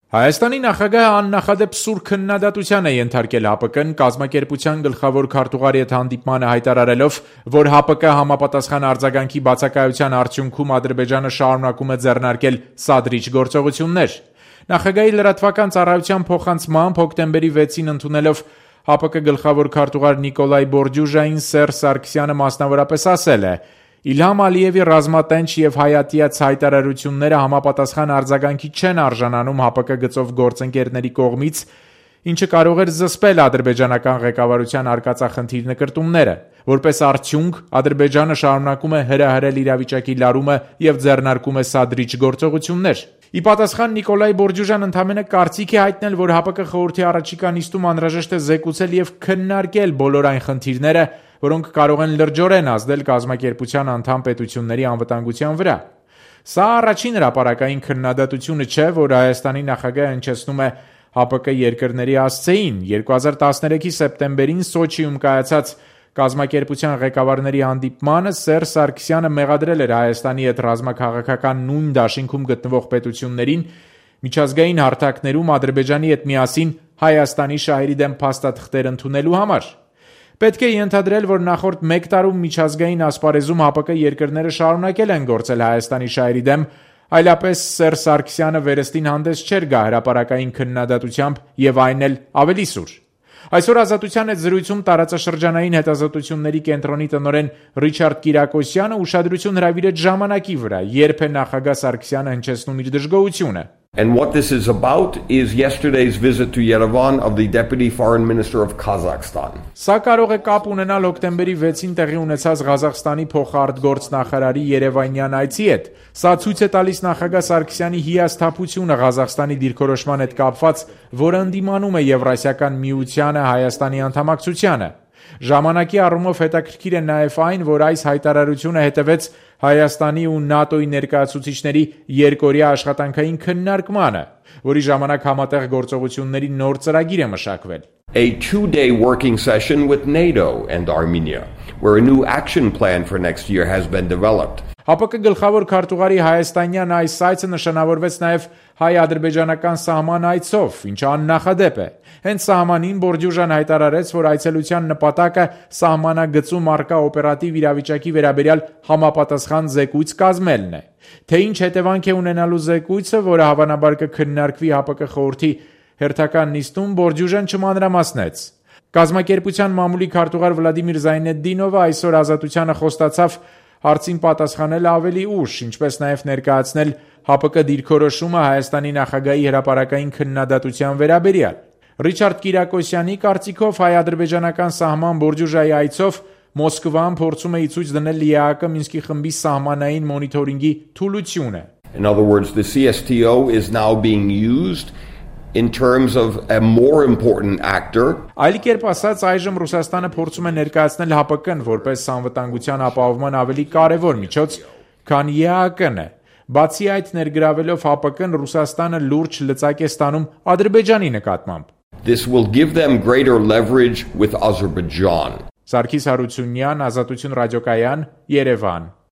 Հայաստանի նախագահը աննախադեպ սուր քննադատության է ենթարկել ՀԱՊԿ-ն կազմակերպության գլխավոր քարտուղարի հետ հանդիպմանը հայտարարելով, որ ՀԱՊԿ համապատասխան արձագանքի բացակայության արդյունքում Ադրբեջանը շարունակում է ձեռնարկել սադրիչ գործողություններ։ Նախագահի լրատվական ծառայության փոխանցմամբ հոկտեմբերի 6-ին ընդունելով ՀԱՊԿ գլխավոր քարտուղար Նիկոլայ Բորդյուժային Սերժ Սարգսյանը մասնավորապես ասել է. Իլհամ Ալիևի ռազմատենչ և հայատյաց հայտարարությունները համապատասխան արձագանքի չեն արժանանում ՀԱՊԿ գծով գործընկերների կողմից, ինչը կարող էր զսպել ադրբեջանական ղեկավարության արկածախնդիր նկրտումները։ Որպես արդյունք, Ադրբեջանը շարունակում է հրահրել իրավիճակի լարումը և ձեռնարկում է սադրիչ գործողություններ։ Ի պատասխան Նիկոլայ Բորդյուժան ընդամենը կարծիք է հայտնել, որ ՀԱՊԿ խորհրդի առաջիկա նիստում անհրաժեշտ է զեկուցել և քննարկել բոլոր այն խնդիրները, որոնք կարող են լրջորեն ազդել կազմակերպության անդամ պետությունների անվտանգության վրա։ Սա առաջին հրապարակային քննադատությունը չէ, որ Հայաստանի նախագահը հնչեցնում է ՀԱՊԿ երկրների ասցեին։ 2013-ի սեպտեմբերին Սոչիում կայացած կազմակերպության ղեկավարների հանդիպմանը Սերժ Սարգսյանը մեղադրել էր Հայաստանի հետ ռազմաքաղաքական նույն դաշինքում գտնվող պետություններին միջազգային հարթակներում Ադրբեջանի հետ միասին Հայաստանի շահերի դեմ փաստաթղթեր ընդունելու համար։ Պետք է ենթադրել, որ նախորդ 1 տարում միջազգային ասպարեզում ՀԱՊԿ երկրները շարունակել են գործել Հայաստանի շահերի դեմ, այլապես Սերժ Սարգսյանը վերստին հանդես չէր գա հրապարակային քննադատությամբ և այն էլ ավելի սուր։ Այսօր Ազատության հետ զրույցում տարածաշրջանային հետազոտությունների կենտրոնի տնօրեն Ռիչարդ Կիրակոսյանը ուշադրություն հրավիրեց ժամանակի վրա, երբ է նախագահ Սարգսյանը հնչեցնում իր դժգոհությունը։ And what this is about is yesterday's visit to Yerevan of the Deputy Foreign Minister of Kazakhstan. Սա կարող է կապ ունենալ հոկտեմբերի 6-ին տեղի ունեցած Ղազախստանի փոխարտգործնախարարի երևանյան այցի հետ։ Սա ցույց է տալիս նախագահ Սարգսյանի հիասթափությունը Ղազախստանի դիրքորոշման հետ կապված, որը ընդդիմանում է Եվրասիական միությանը Հայաստանի անդամակցությանը։ Ժամանակի առումով հետաքրքիր է նաև այն, որ այս հայտարարությունը հետևեց Հայաստանի ու ՆԱՏՕ-ի ներկայացուցիչների երկօրյա աշխատանքային քննարկմանը, որի ժամանակ համատեղ գործողությունների նոր ծրագիր է մշակվել։ A 2-day working session with NATO and Armenia, where a new action plan for next year has been developed. ՀԱՊԿ գլխավոր քարտուղարի հայաստանյան այս այցը նշանավորվեց նաև հայ-ադրբեջանական սահման այցով, ինչը աննախադեպ է։ Հենց սահմանին Բորդյուժան հայտարարեց, որ այցելության նպատակը սահմանագծում առկա օպերատիվ իրավիճակի վերաբերյալ համապատասխան զեկույց կազմելն է։ Թե ինչ հետևանք է ունենալու զեկույցը, որը հավանաբար կքննարկվի ՀԱՊԿ խորհրդի հերթական նիստում, Բորդյուժան չմանրամասնեց։ Կազմակերպության մամուլի քարտուղար Վլադիմիր Զայնեդդինովը այսօր Ազատությանը խոստացավ հարցին պատասխանել ավելի ուշ, ինչպես նաև ներկայացնել ՀԱՊԿ դիրքորոշումը Հայաստանի նախագահի հրապարակային քննադատության վերաբերյալ։ Ռիչարդ Կիրակոսյանի կարծիքով հայ-ադրբեջանական սահման Բորդյուժայի այցով Մոսկվան փորձում է ի ցույց դնել ԼԻԱՀԿ Մինսկի խմբի սահմանային մոնիթորինգի թուլությունը։ In other words, the CSTO is now being used in terms of a more important actor. Այլ կերպ ասած, այժմ Ռուսաստանը փորձում է ներկայացնել ՀԱՊԿ-ն որպես անվտանգության ապահովման ավելի կարևոր միջոց, քան ԵԱՀԿ-ն է։ Բացի այդ, ներգրավելով ՀԱՊԿ-ն, Ռուսաստանը լուրջ լծակ է ստանում Ադրբեջանի նկատմամբ։ This will give them greater leverage with Azerbaijan. Սարգիս Հարությունյան, Ազատություն ռադիոկայան, Երևան։